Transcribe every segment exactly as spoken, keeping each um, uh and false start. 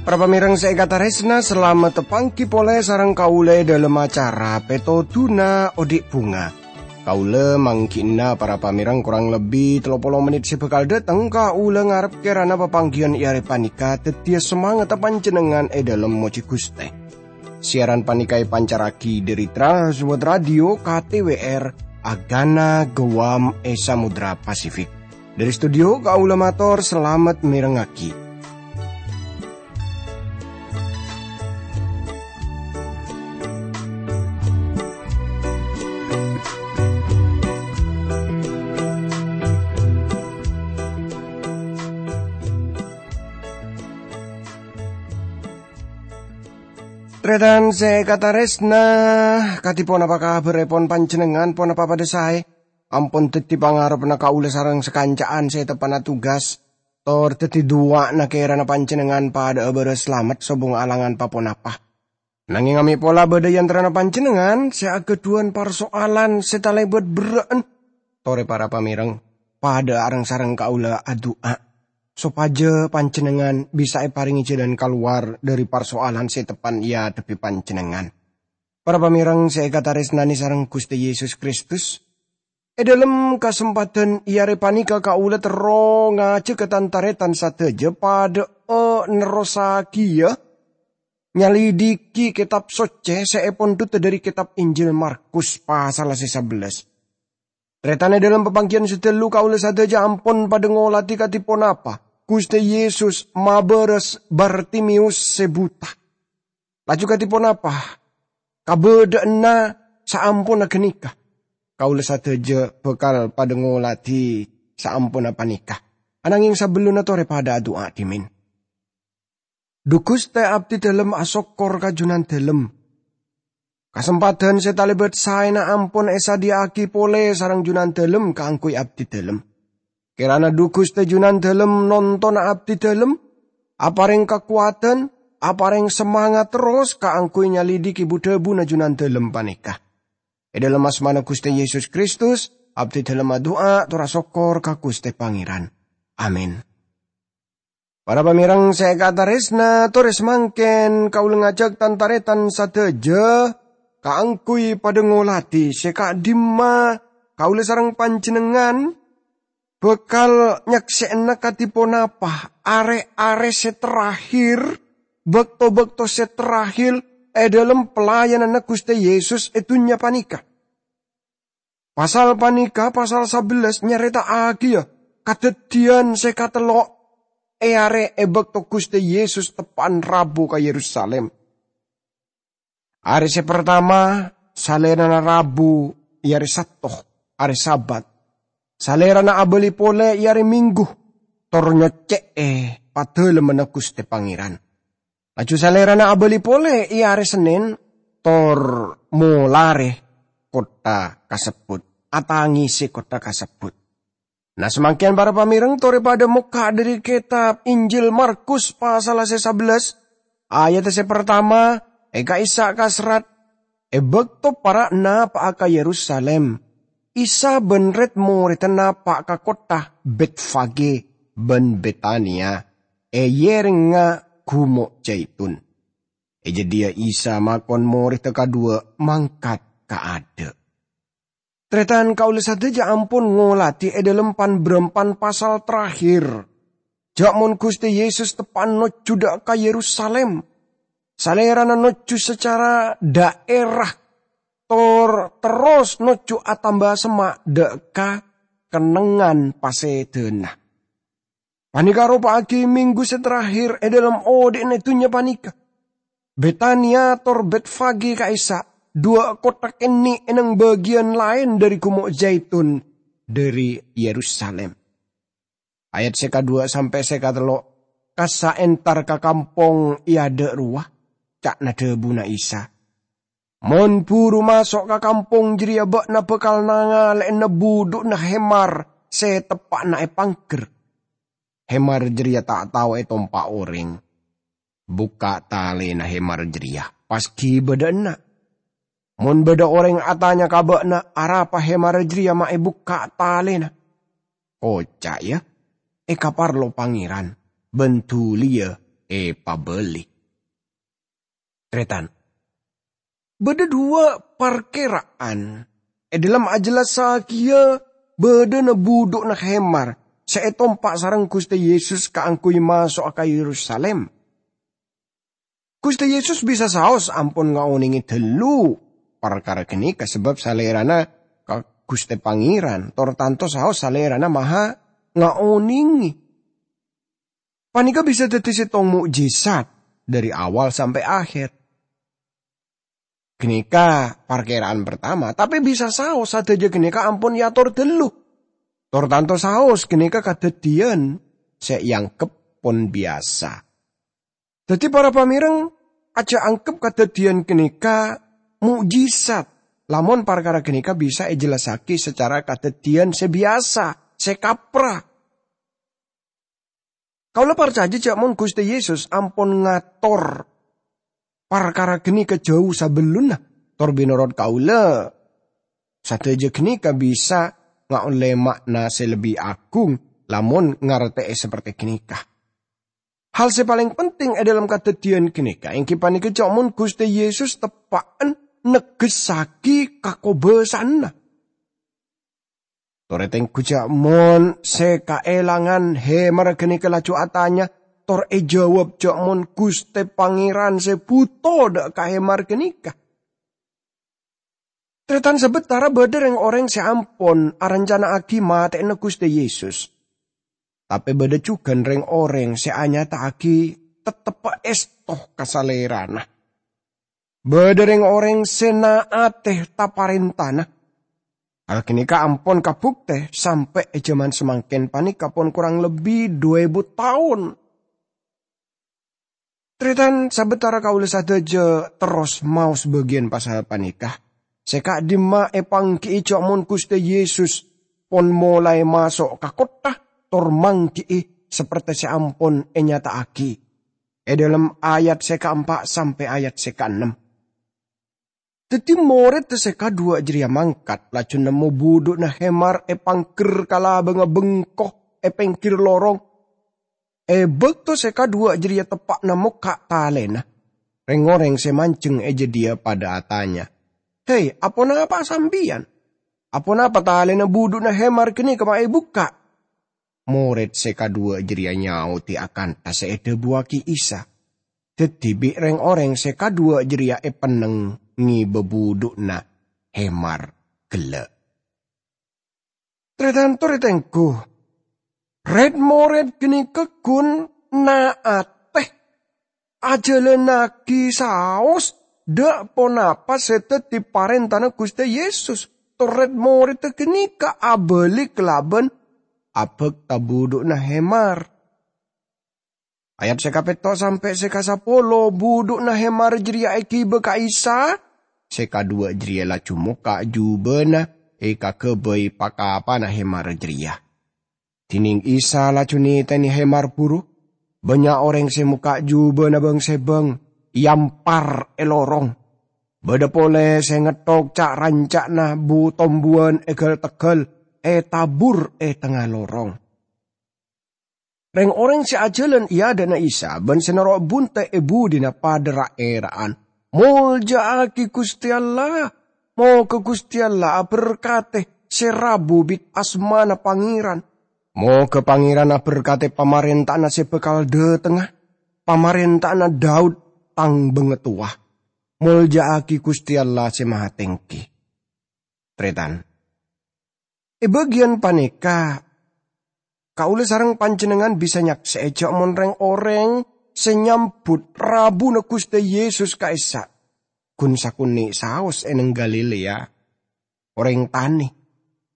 Para pamèrèng sè èkatarèsna, salamet panggi polè sareng kaulâ è dhâlem acara Pètodhuna Odi' Bhunga. Kaulâ mangghi'na para pamèrèng korang lebbi tello polo mennit sè bhâkal dhâteng, kaulâ ngarep kèrana papangghiyân è arè panèka dhâddhiyâ samangatta panjhennengngan è dhâlem mojhi Ghustè. Siaran panèka èpancarraghi dhâri Trans World Radio K T W R, Agana Guam è Samudra Pasifik. Dhâri studio, kaulâ mator salamet mèrengngaghi. Tarètan sè èkatarèsna, kadhi ponapa kabhârrèpon panjhennengngan? Ponapa padhâ saè? Ampon dhâddhi pangarebhânna kaulâ sareng sakanca'an sè teppa'na tugas, tor dhâddhi duwâ'na kèrana panjhennengngan padhâ'â bârâs salamet sobung alangan pa-ponapa. Nangèng amè' pola bâdâ è antarana panjhennengngan sè aghâdhuwân parsoalan sè talèbât berrâ'ân, torè para pamèrèng, padhâ'â reng-sareng kaulâ adu'a, sopajâ panjhennengngan bisa èparèngè jhâlân kalowar dhâri parsoalan sè teppa'na èadhebbhi panjhennengngan. Para pamèrèng sè èkatarèsnanè sareng Ghustè Yesus Kristus, è dhâlem kasempadhân è arè panèka kaulâ terro ngajhâghâ tan-tarètan sadhâjâ padhâ'â nerrossaghiyâ nyalidiki Kètab Soccè sè èpondhutta dhâri Kètab Injil Markus pasal sè sabellâs. Tarètan, è dhâlem papangghiyân sè ghâllu kaulâ sadhâjâ ampon padhâ ngolatè kadhi ponapa Ghustè Yesus mabârâs Bartimeus sè buta. Laju kadhi ponapa kabâdâ'ânna saamponna ghânèka? Kaulâ sadhâjâ bhâkal padhâ ngolatè saamponna panèka. Anangèng sabellunna torè padhâ adu'a dhimèn. Dhu Ghustè, abdhi dhâlem asokkor ka Junandhâlem. Kasempadhân sè talèbât saèna ampon èsadhiyâ'aghi polè sareng Junandhâlem kaangghuy abdhi dhâlem. Kèrana dhu Ghustè Junandhâlem nontona abdhi dhâlem, aparèng kakowadhân, aparèng samangat terros kaangghuy nyalidiki bu-dhâbuna Junandhâlem panèka. È dhâlem asmana Ghustè Yesus Kristus, abdhi dhâlem adu'a tor asokkor ka Ghustè Pangèran. Amin. Para pamèrèng sè èkatarèsna, torè samangkèn kaulâ ngajhâk tan-tarètan sadhâjâ kaangghuy padhâ ngolatè sè ka'dhimma kaulâ sareng panjhennengngan bhâkal nyaksè'ana kadhi ponapa arè-arè sè terakhir, bâkto-bâkto sè terakhir è dhâlem pelayananna Ghustè Yesus è dhunnya panèka. Pasal panèka, pasal sabellâs, nyarèta'aghiyâ kadhâddhiyân sè katello' è arè è bâkto Ghustè Yesus teppa'na rabu ka Yerusalim. Arè sè partama, Salèrana rabu è arè Sabto, arè Sabat. Salèrana abâli polè è arè Minggu, tor nyoccè'è padâlemmanna Ghustè Pangèran. Laju Salèrana abâli polè è arè Sennèn, tor molarè kottha kasebbhut, atangèsè kottha kasebbhut. Na, samangkèn para pamèrèng torè padhâ mokka' dhâri kètab Injil Markus pasal sè sabellâs, ayat sè partama, è ka'issa' kaserrat, "È bâkto para' napa'a ka Yerusalim, Isa bân rèd-morèdda napa' ka kottha Bètfagè bân Betania è yèrengnga Gumo' Jaitun." È jâdiyâ Isa makon morèdda kadhuwâ' mangkat ka adâ'. Tarètan, kaulâ sadhâjâ ampon ngolatè è dhâlem pan-bârâmpan pasal terakhir. Jhâ' mon Ghustè Yesus teppa'na nojjhu dâ' ka Yerusalim. Salèrana nojjhu sacara dhaèra, tor terros nojjhu atamba semma' dâ' ka kennengngan pasèdâna. Panèka aropa'aghi minggu sè terakhir è dhâlem odhi'na dhunnya panèka. Betania tor Bètfagè ka'issa', dhuwâ' kottha kènè' è neng bâgiyân laèn dhâri Gumo' Jaitun dhâri Yerusalim. Ayat sè kadhuwâ' sampè' sè katello', "Kassa' entar ka kampong è adâ' rowa," ca'na dhâbuna Isa. "Mon buru maso' ka kampong jârèya bâ'na bhâkal nangalè'ana budhu'na hemar sè teppa'na èpangghâr. Hemar jârèya ta' tao ètompa' orèng. Bukka' talèna hemar jârèya, pas ghi' bâdâ enna'. Mon bâdâ orèng atanya ka bâ'na arapa hemar jârèya ma' èbukka' talèna, koca', ya, èkaparlo Pangèran, bân dhuliyâ èpabâli. Tarètan, bâdâ duwâ' parkèra'an è dhâlem ajellassaghiyâ bâdâna budhu'na hemar sè ètompa' sareng Ghustè Yesus kaangghuy maso'a ka Yerusalim. Ghustè Yesus bisa saos ampon ngaonèngè dhâllu parkara ghânèka sabâb Salèrana ka Ghustè Pangèran, tor tanto saos Salèrana maha ngaonèngè. Panèka bisa dhâddhi sèttong mo'jizat dhâri awal sampè' akhèr. Ghânèka parkèra'an partama, tapè bisa saos sadhâjâ ghânèka ampon èator dhâllu. Tor tanto saos ghânèka kadhâddhiyân sè èangghep pon biyasa. Dhâddhi, para pamèreng, ajjhâ' angghep kadhâddhiyân ghânèka mo'jizat, lamon parkara ghânèka bisa èjellassaghi sacara kadhâddhiyân sè biyasa, sè kapra. Kaulâ parcajâ jhâ' mon Ghustè Yesus ampon ngator parkara ghânèka jhâu sabellunna, tor mènorot kaulâ, sadhâjâ ghânèka bisa ngaollè ma'na sè lebbi agung lamon ngartè'è saperte ghânèka. Hal sè palèng penting è dhâlem kadhâddhiyân ghânèka èngghi panèka jhâ' mon Ghustè Yesus teppa'en negghessaghi kakobâsa'anna. Torè tengghu jhâ' mon sè kaèlangan hemar ghânèka laju atanya, tor èjâwâb jhâ' mon Ghustè Pangèran sè bhuto dhâ' ka hemar ghânèka. Tarètan, sabâtara bâdâ rèng-orèng sè ampon arancana'aghi matè'ana Ghustè Yesus, tapè bâdâ jhughân rèng-orèng sè anyata'aghi tettebbhâ èsto ka Salèrana. Bâdâ rèng-orèng sè na'atè ta-parèntana. Hal ghânèka ampon kabuktè sampè' è jhâman samangkèn panèka pon korang lebbi du èbu taon. Tarètan, sabâtara kaulâ sadhâjâ terros maos bâgiyân pasal panèka, sè ka'dimma èpangghi'i jhâ' mon Ghustè Yesus pon molaè maso' ka kottha tor mangghi'i saperte sè ampon ènyata'aghi è dhâlem ayat sè kaempa' sampè' ayat sè kaennem. Dhâddhi, morèdda sè kaduwâ' jârèya mangkat, laju nemmo budhu'na hemar èpangghâr ka labângnga bengko è pèngghir lorong. È bâkto sè kaduwâ' jârèya teppa'na mokka' talèna, rèng-orèng sè manjheng è jâdiyâ padâ atanya, "Hè, aponapa sampèyan? Aponapa talèna budhu'na hemar ghânèka ma' èbukka'?" Morèd sè kaduwâ' jârèya nyaodhi akantha sè èdhâbuwâghi Isa. Dhâddhi, bi' rèng-orèng sè kaduwâ' jârèya èpenneng ngèbâ budhu'na hemar ghellâ'. Tarètan, torè tengghu, rèd-morèd ghânèka ghun na'atè ajhâlânnaghi saos dhâ' ponapa sè dhâddhi parèntana Ghustè Yesus. Tor rèd-morèdda ghânèka abâli kalabân abhâkta budhu'na hemar. Ayat sè kapètto' sampè' sè kasapolo, budhu'na hemar jârèya èghibâ ka Isa, sè kaduwâ' jârèya laju mokka' jhubâna èkaghâbây pa-kapana hemar jârèya. Dhinèng Isa laju nètènè hemar buru, bânnya' orèng sè mokka' jhubâna bâng-sèbâng, èampar è lorong. Bâdâ polè sè ngetthok ca'-ranca'na bu-tombuwân èghâl-tegghâl ètabur è tengnga lorong. Rèng-orèng sè ajhâlân è adâ'na Isa bân sè noro' bunte' è budina padâ ra'-èra'an, "Molja'aghi Ghustè Allah! Moghâ Ghustè Allah aberkadhi sè rabu bi' asmana Pangèran! Moghâ Pangèran aberkadhi pamarènta'anna sè bhâkal dhâtengnga, pamarènta'anna Daud, tang bangatowa! Molja'aghi Ghustè Allah Sè Mahatèngghi!" Tarètan, è bâgiyân panèka, kaulâ sareng panjhennengngan bisa nyaksè'è jhâ' mon rèng-orèng sè nyambhut rabuna Ghustè Yesus ka'issa' ghun sakonè' saos è neng Galilea, orèng tanè.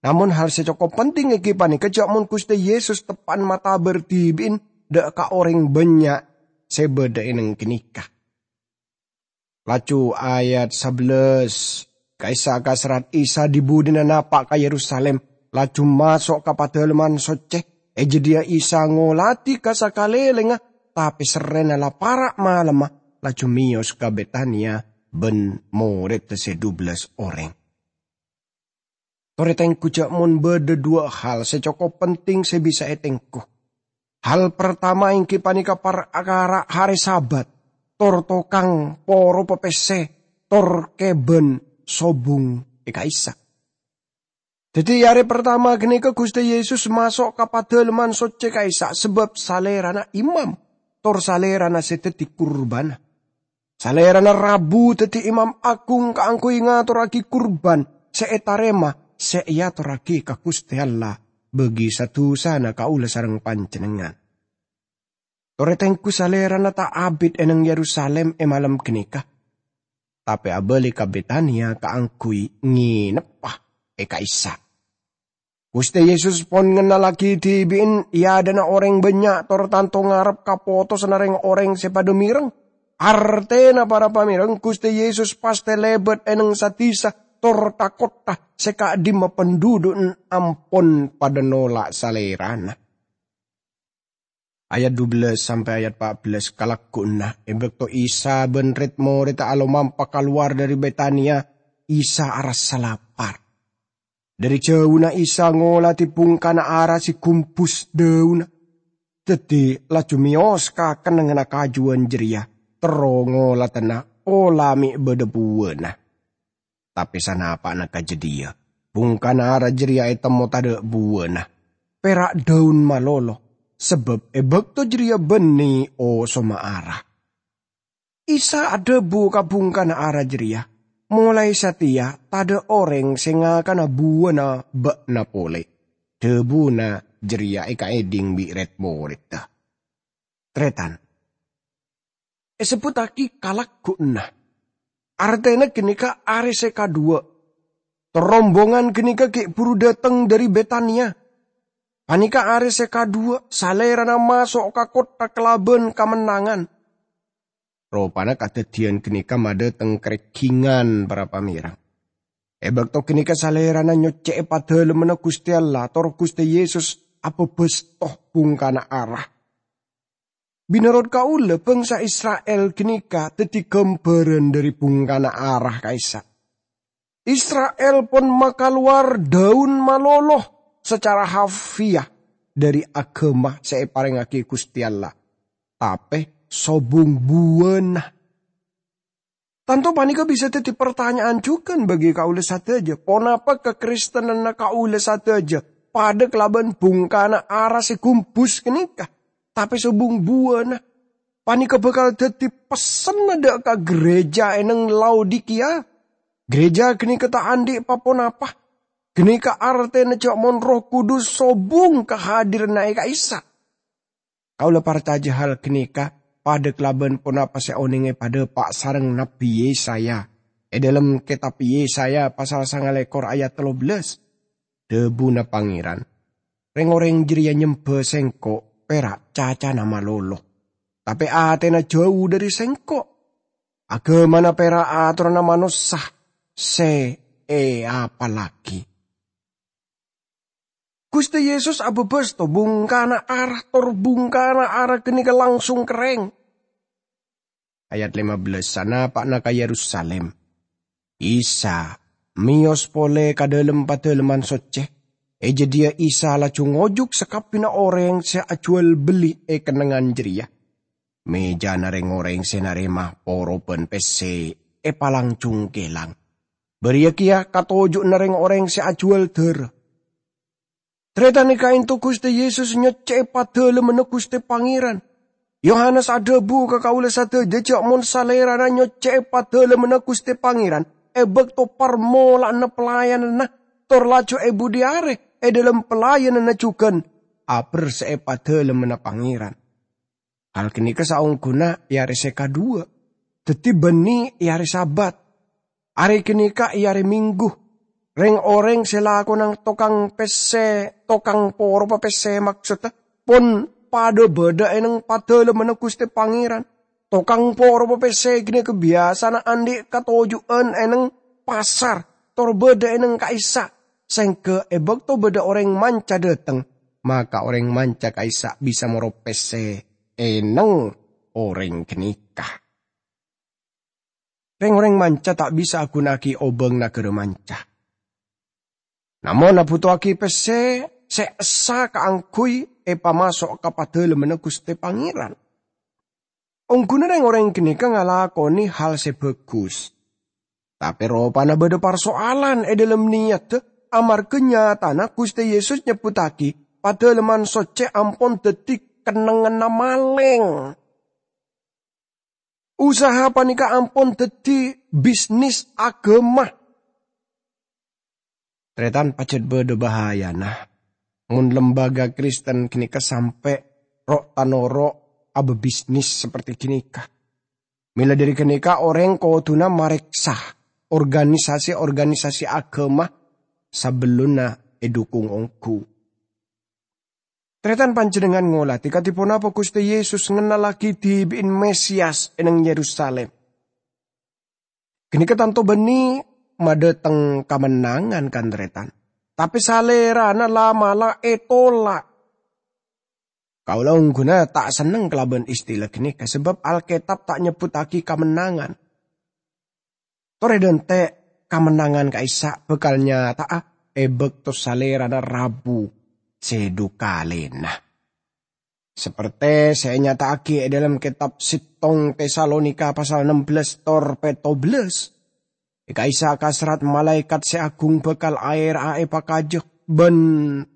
Namong hal sè cokop penting èngghi panèka jhâ' mon Ghustè Yesus teppa'na matabâr dhibi'na dhâ' ka orèng bânnya' sè bâdâ è neng ghânèka. Laju ayat sabellâs, ka'issa' kaserrat Isa dhi-budina napa' ka Yerusalim, laju maso' ka Padalemman Soccè. È jâdiyâ Isa ngoladhi ka sakalèlèngnga, tapè serrèna la para' malemma, laju meyos ka Betania bân moredda se dubellas oreng. Tore tenggu ja' mon badha dhuwa' hal se cokop penting se bisa etenggu. Hal partama enggi paneka parkara hare Sabat, tor tokang poro pepesse, tor keban sobung e ka'issa'. Daddi, e are partama ganeka Guste Yesus maso' ka Padalemman Socce ka'issa' sabab Salerana imam, tor Salerana se daddi kurbana. Salerana rabu daddi imam agung kaangguy ngatorragi kurban se etarema se eatorragi ka Guste Allah bagi sa-dusana kaula sareng panjennengngan. Tore tenggu Salerana ta' abit e neng Yerusalim e malem ganeka, tape abali ka Betania kaangguy ngeneppa e ka'issa'. Guste Yesus pon ngennallagi dibi'en e adha'na oreng bannya' tor tanto ngarep ka potosanna reng-oreng se padha mireng. Artena, para pamereng, Guste Yesus paste lebat e neng sa-disa tor tha-kottha se ka'dimma pandudhu'en ampon padha nola' Salerana. Ayat dubellas sampe' ayat pa' bellas. Kalagguwanna, e bakto Isa ban red-moredda alomampa kalowar dhari Betania, Isa arassa lapar. Dhari jauna Isa ngoladi bungkana ara se gumbus dhaunna. Daddi, laju meyos ka kennengnganna kajuwan jareya, terro ngoladana pola me' badha buwana. Tape sanapa'na ka jadhiya, bungkana ara jareya etemmo tadha' buwana, pera' dhaun malolo, sabab e bakto jareya banne osoma ara. Isa adhabu ka bungkana ara jareya, "Molae sateya tadha' oreng se ngakana buwana ba'na pole." Dhabuna jareya ekaedhing bi' red-moredda. Taretan, esebbuttagi kalagguwanna. Artena ganeka are se kadhuwa. Tor rombongan ganeka gi' buru dhateng dhari Betania. Paneka are se kadhuwa Salerana maso' ka kottha kalaban kamennangan. Ropana kadaddiyan ganeka madhateng kareggingan, para pamereng. E bakto ganeka Salerana nyocce'e Padalemmanna Guste Allah, tor Guste Yesus ababasto bungkana ara. Menorot kaula, bangsa Isra'il ganeka daddi gambaran dhari bungkana ara ka'issa'. Isra'il pon makalowar dhaun malolo sacara harfiah dhari agama se eparengngagi Guste Allah, tape sobung buwana. Tanto paneka bisa daddi partanya'an jugan bagi kaula sadaja, ponapa kakristenanna kaula sadaja padha kalaban bungkana ara se gumbus ganeka, tape sobung buwana? Paneka bakal daddi pessenna dha' ka gereja e neng Laodikia. Gereja ganeka ta' andhi' pa-ponapa. Ganeka artena ja' mon Erroh Kudus sobung kahadiranna e ka'issa'. Kaula parcaja hal ganeka padha kalaban ponapa se oneng epadhapa' sareng Nabbi Yesaya e dhalem Ketab Yesaya pasal sangalekor ayat tello bellas. Dhabuna Pangeran, "Reng-oreng jareya nyemba Sengko' pera' cacana malolo, tape atena jau dhari Sengko'. Agamana pera' atoranna manossa se eapallagi." Guste Yesus ababasto bungkana ara, tor bungkana ara ganeka langsung kerreng. Ayat lima bellas, sanapa'na ka Yerusalim, Isa meyos pole ka dhalem Padalemman Socce. E jadhiya Isa laju ngojuk sakabbina oreng se ajuwal belli e kennengngan jareya. Mejana reng-oreng se narema poro ban pesse epalang congkelang. Bariya keya katoju'na reng-oreng se ajuwal dara. Taretan, ka'ento Guste Yesus nyocce'e Padalemmanna Guste Pangeran. Yohanes adhabu ka kaula sadaja ja' mon Salerana nyocce'e Padalemmanna Guste Pangeran e bakto parmola'anna pelayananna, tor laju e budhi are e dhalem pelayananna jugan aberse'e Padalemmanna Pangeran. Hal ganeka saongghuna e are se kadhuwa, daddi banne e are Sabat. Are ganeka e are Minggu. Reng-oreng se lakona tokang pesse, tokang poro pepesse maksodda, pon padha badha e neng Padalemmanna Guste Pangeran. Tokang poro pepesse ganeka biyasana andhi' katoju'an e neng pasar, tor badha e neng ka'issa', sengga e bakto badha oreng manca dhateng, maka oreng manca ka'issa' bisa moro pesse e neng oreng ganeka. Reng-oreng manca ta' bisa aghuna'agi obang nagara manca. Namong abhuto'agi pesse se essa kaangguy epamaso' ka Padalemmanna Guste Pangeran. Ongguna reng-oreng ganeka ngalakone hal se bagus. Tape ropana badha parsoalan e dhalem niyadda, amarga nyatana Guste Yesus nyebbhuttagi Padalemman Socce ampon daddi kennengnganna maleng. Usaha paneka ampon daddi bisnis agama. Taretan, pajat badha bahayana mon lembaga Kristen ganeka sampe' ro'-tanoro' ababisnis saperti ganeka. Mela dhari ganeka, oreng koduna mareksa organisasi-organisasi agama sabellunna edukung onggu. Taretan, panjennengngan ngoladi kadi ponapa Guste Yesus ngennallagi dibi'in Mesias e neng Yerusalem. Ganeka tanto banne madhateng kamennangan, kan, taretan. Tape Salerana la'-mala' etolak. Kaula ongguna ta' senneng kalaban istila ganeka, sabab Alketab ta' nyebbhuttagi kamennangan. Tore dante' kamennangan ka'issa' bakal nyata'a e bakto Salerana rabu se dhu kalena. Saperte se enyata'agi e dhalem ketab settong Tesalonika pasal ennem belas tor petto belas, e ka'issa' kaserrat malaekat se agung bakal aera'a epakaja, ban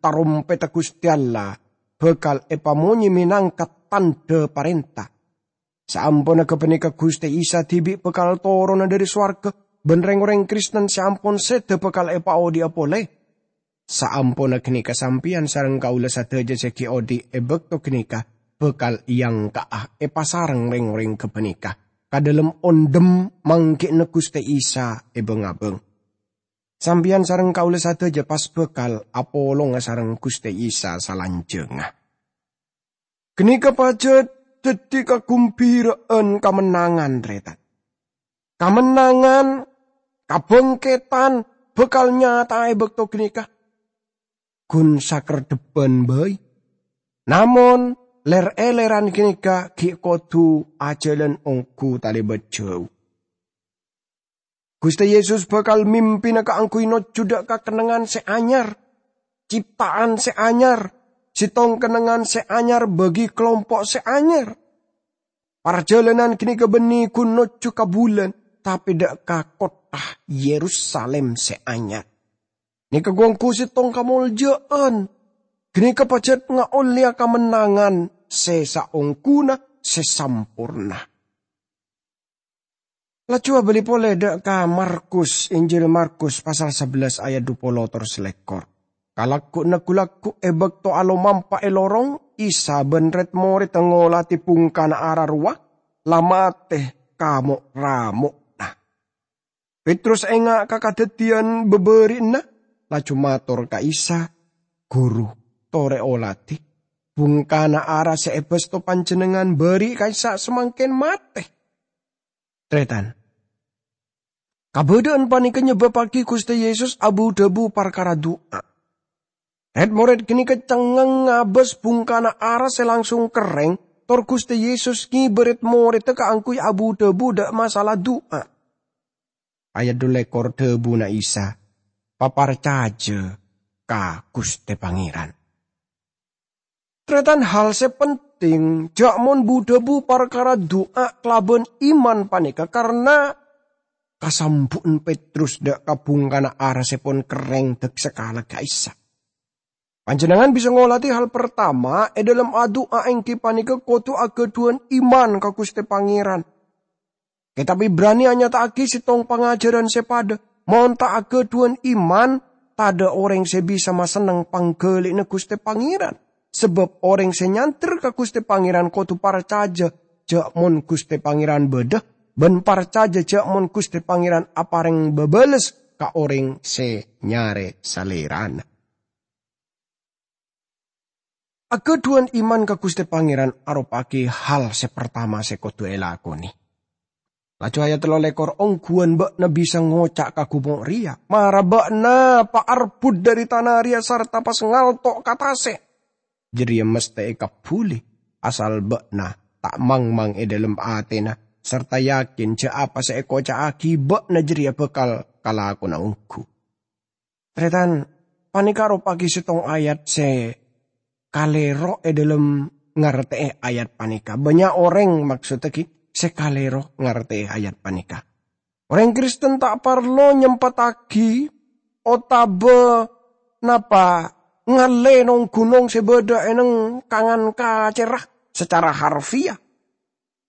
tarompedda Guste Allah bakal epamonye menangka tandha parenta. Saamponna gapaneka Guste Isa dibi' bakal torona dhari sowarga, ban reng-oreng Kristen se ampon seda bakal epaodhi'a pole. Saamponna ganeka sampeyan sareng kaula sadaja se gi' odhi' e bakto ganeka bakal eangka'a epasareng reng-oreng gapaneka ka dhalem ondhem manggi'na Guste Isa e bang-abang. Sampeyan sareng kaula sadaja pas bakal apolonga sareng Guste Isa salanjangnga. Ganeka pajat daddi kagumbira'an kamennangan, taretan. Kamennangan, kabangketan bakal nyata'a e bakto ganeka. Gun sakerdhebbhân bai. Namong, ler-eleran ganeka gi' kodu ajalan onggu talebat jau. Guste Yesus bakal mimpina kaangguy nojju dha' ka kennengngan se anyar, cipta'an se anyar, settong kennengngan se anyar bagi kalompo' se anyar. Parjalanan ganeka banne gun nojju ka bulan, tape dha' ka kottha Yerusalem se anyar. Neka gu-onggu settong kamolja'an. Ganeka pajat ngaolleya kamennangan se saongguna se samporna. Laju abali pole dha' ka Markus, Injil Markus pasal sabellas ayat dhu polo tor selekkor. Kalaggu'na gu-lagghu' e bakto alomampa e lorong, Isa ban red-moredda ngoladi bungkana ara rowa la mate kamo'-ramo'na. Petrus enga' ka kadaddiyan babari'na, laju mator ka Isa, "Guru, tore oladi. Bungkana ara se ebasto Panjennengngan bari' ka'issa' samangken mate." Taretan. Kabadha'an paneka nyebbabbagi Guste Yesus abu-dhabu parkara du'a. Red-mored ganeka cengngeng ngabas bungkana ara se langsung kerreng, tor Guste Yesus ngeba red-moredda kaangguy abu-dhabu dha' masalah du'a. Ayat dhu lekor dhabuna Isa, "Paparcaja ka Guste Pangeran." Taretan, hal se penting, ja' mon bu-dhabu parkara du'a kalaban iman paneka, karna kasambu'en Petrus dha' ka bungkana ara se pon kerreng dek sakala ka'issa'. Panjennengngan bisa ngoladi hal partama e dhalem adu'a enggi paneka kodu agadhuwan iman ka Guste Pangeran. Ketab Ibrani anyata'agi settong pangajaran se padha, "Mon ta' agadhuwan iman, tadha' oreng se bisa masenneng panggali'na Guste Pangeran." Sabab oreng se nyander ka Guste Pangeran kodu parcaja ja' mon Guste Pangeran badha, ban parcaja ja' mon Guste Pangeran apareng babales ka oreng se nyare Salerana. Agadhuwan iman ka Guste Pangeran aropa'agi hal se partama se kodu elakone. Laju ayat tello lekor, "Ongguwan ba'na bisa ngoca' ka gumo' reya, 'Mara ba'na paarbut dhari tana reya sarta pas ngalto' ka tase'.' Jareya masthe ekabbuli, asal ba'na ta' mangmang e dhalem atena sarta yakin ja' apa se ekoca'agi ba'na jareya bakal kalakona onggu. Taretan, paneka ropa'agi settong ayat se kalero e dhalem ngarte'e ayat paneka. Bannya' oreng, maksoddagi, se kalero ngarte'e ayat paneka. Oreng Kristen ta' parlo nyempatagi otaba napa ngalle nong-gunong se badha e neng kangan kacera secara harfiah.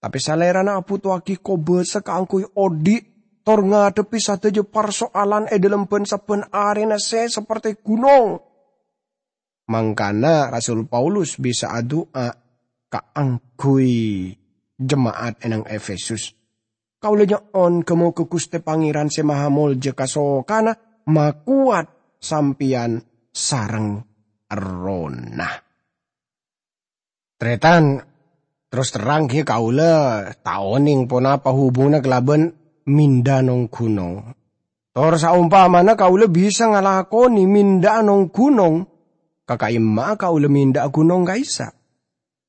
Tape Salerana abutuwagi kobasa kaangguy odhi' tor ngadhebbi sadaja parso'alan e dhalem ban-sabban arena se saperte gunong. Mangkana Rasul Paulus bisa adu'a kaangguy jema'at e nang Efesus. Kaula nyo'on ga-moga Guste Pangeran Se Mahamolja kasokana makowat sampeyan sareng errohna. Taretan, terros terrang, ghi, kaula ta' oneng ponapa hubunganna kalaban mindha nong-gunong. Tor saompamana kaula bisa ngalakone mindha'a nong-gunong, ka ka'imma'a kaula mindha'a gunong ka'issa'?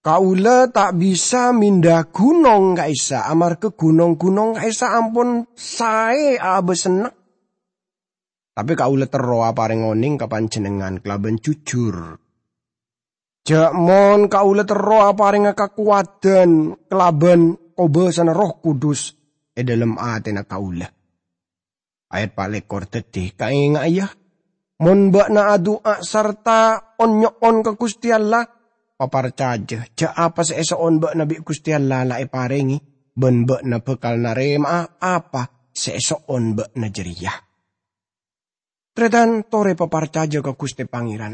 Kaula ta' bisa mindha gunong ka'issa', amarga gunong-gunong ka'issa' ampon sae aabasanna. Tape kaula terro apareng oneng ka panjennengngan kalaban jujur. Ja' mon kaula terro aparenga kakowadan kalaban kobasana Erroh Kudus e dhalem atena kaula. Ayat pa' lekkor daddi kaenga'a, ya. Mon ba'na adu'a sarta on-nyo'on ka Guste Allah, paparcaja ja' apa se eso'on ba'na bi' Guste Allah la eparenge, ban ba'na bakal narema'a apa se eso'on ba'na jareya. Taretan, tore paparcaja ka Guste Pangeran.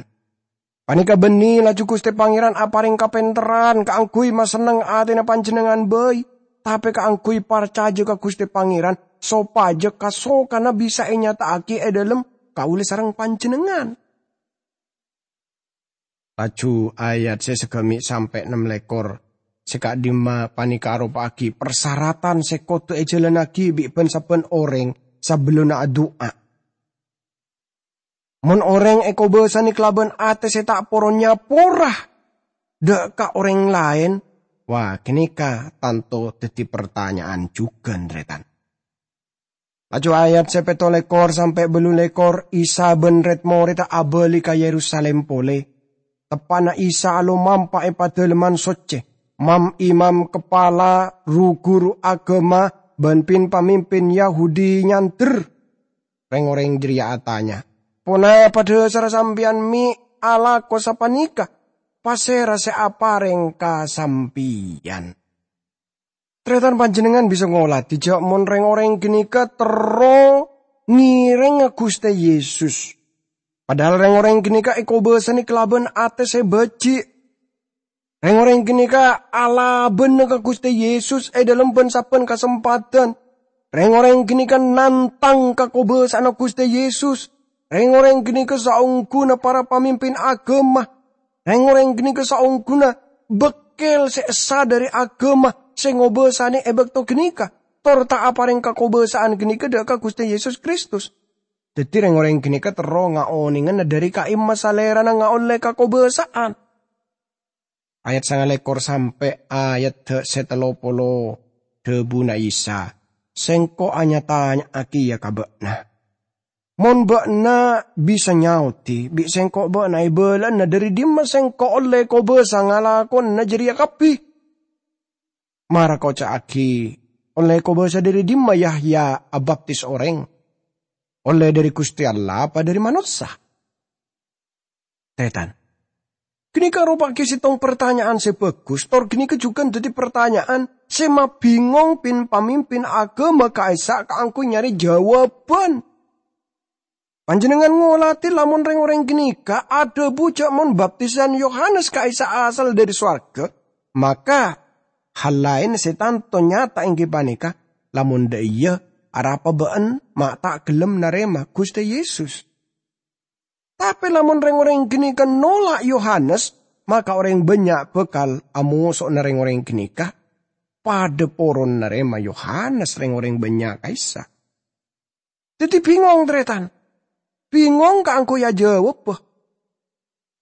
Paneka banne laju Guste Pangeran apareng kapenterran kaangguy masenneng atena panjennengngan bai, tape kaangguy parcaja ka Guste Pangeran, sopaja kasokana bisa enyata'agi e dhalem kaula sareng panjennengngan. Laju ayat se sagami' sampe' nem lekkor se ka'dimma paneka aropa'agi parsaratan se kodu ejalannagi bi' ban-sabban oreng sabellunna adu'a. Mon oreng ekobasane kalaban ate se ta' poron nyapora dha' ka oreng laen, wa, ganeka tanto daddi partanya'an jugan, taretan. Laju ayat se petto lekkor sampe' ballu lekkor, Isa ban red-moredda abali ka Yerusalim pole. Teppa'na Isa alomampa e Padalemman Socce. Mam-imam kapala, ru-guru agama, ban pin-pamimpin Yahudi nyander. Reng-oreng jareya atanya, "Ponapa dhasarra sampeyan me' alako sapaneka? Pasera se apareng ka sampeyan?" Taretan, panjennengngan bisa ngoladi ja' mon reng-oreng ganeka terro ngerengnga Guste Yesus. Padahal reng-oreng ganeka ekobasane kalaban ate se baji'. Reng-oreng ganeka alabana ka Guste Yesus e dhalem ban-sabban kasempadhan. Reng-oreng ganeka nantang kakobasa'anna Guste Yesus. Reng-oreng ganeka saongguna para pamimpin agama. Reng-oreng ganeka saongguna bekkel se essa dhari agama se ngobasane e bakto ganeka, tor ta' apareng kakobasa'an ganeka dha' ka Guste Yesus Kristus. Daddi, reng-oreng ganeka terro ngaonengana dhari ka'imma Salerana ngaolle kakobasa'an. Ayat sanga lekkor sampe' ayat se tello polo, dhabuna Isa, "Sengko' anya-tanya'agiya ka ba'na. Mon ba'na bisa nyaodi, bi' Sengko' ba'na ebala'ana dhari dimma Sengko' olle kobasa ngalakona jareya kabbi. Mara koca'agi, olle kobasa dhari dimma Yahya abaptis oreng? Olle dhari Guste Allah apa dhari manossa?" Taretan. Ganeka ropa'agi settong partanya'an se bagus, tor ganeka jugan daddi partanya'an se mabingong pin-pamimpin agama ka'issa' kaangguy nyare jawaban. Panjennengngan ngoladi lamon reng-oreng ganeka adhabu ja' mon baptisan Yohanes ka'issa' asal dhari sowarga, maka hal laen se tanto nyata enggi paneka, lamon dha' iyâ, arapa ba'en ma' ta' gelem narema Guste Yesus? Tape lamon reng-oreng ganeka nola' Yohanes, maka oreng bannya' bakal amoso'na reng-oreng ganeka. Padha poron narema Yohanes reng-oreng bannya' ka'issa'. Daddi bingong, taretan. Bingong kaangguy ajawabba.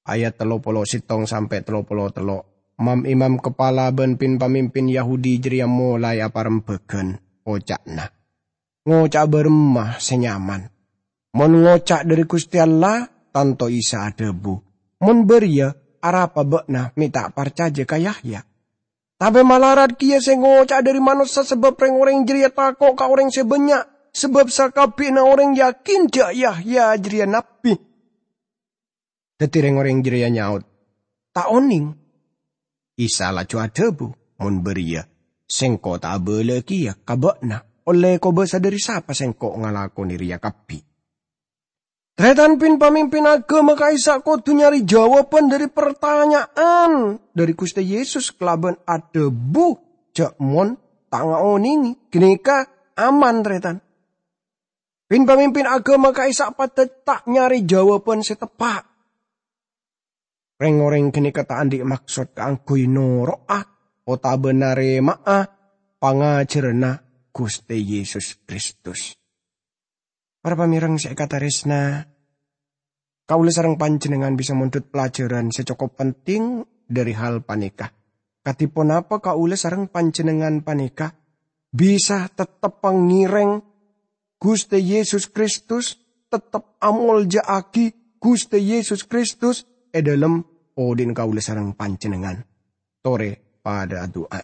Ayat tello polo settong sampe' tello polo tello'. Mam-imam kapala bân pin-pamimpin Yahudi jârèya molaè aparembhâghân, oca'na, "Ngoca'a bârâmma sè nyaman? Mon ngoca' dhâri Ghustè Allah, tanto Isa adhâbu, 'Mon bâriyâ, arapa bâ'na mè' ta' parcajâ ka Yahya?' Tapè malarat kèya sè ngoca'a dhâri manossa, sabâb rèng-orèng jârèya tako' ka orèng sè bânnya', sabâb sakabbhiyânna orèng yakin jâ' Yahya jârèya nabbhi." Dhâddhi rèng-orèng jârèya nyaot, "Ta' onèng." Isa laju adhâbu, "Mon bâriyâ, Sèngko' ta' abâlâ kèya ka bâ'na, ollè kobâsa dhâri sapa Sèngko' ngalakonè rèya kabbhi." Tarètan, pin-pamimpin aghâma ka'issa' kodhu nyarè jâwâbhân dhâri partanya'an dhâri Ghustè Yesus kalabân adhâbu jâ' mon ta' ngaonèngè, ghânèka aman, tarètan. Pin-pamimpin aghâma ka'issa' padâ ta' nyarè jâwâbhân sè teppa'. Rèng-orèng ghânèka ta' andi' maksod kaangghuy noro'a otabâ narèma'a pangajhârânna Ghustè Yesus Kristus. Para pamèreng sè èkatarèsna, kaulâ sareng panjhennengngan bisa mondhut pelajaran sè cokop penting dhâri hal panèka. Kadhi ponapa kaulâ sareng panjhennengngan panèka bisa tettep ngèrèng Ghustè Yesus Kristus, tettep amolja'aghi Ghustè Yesus Kristus è dhâlem odi'na kaulâ sareng panjhennengngan. Torè padâ adu'a.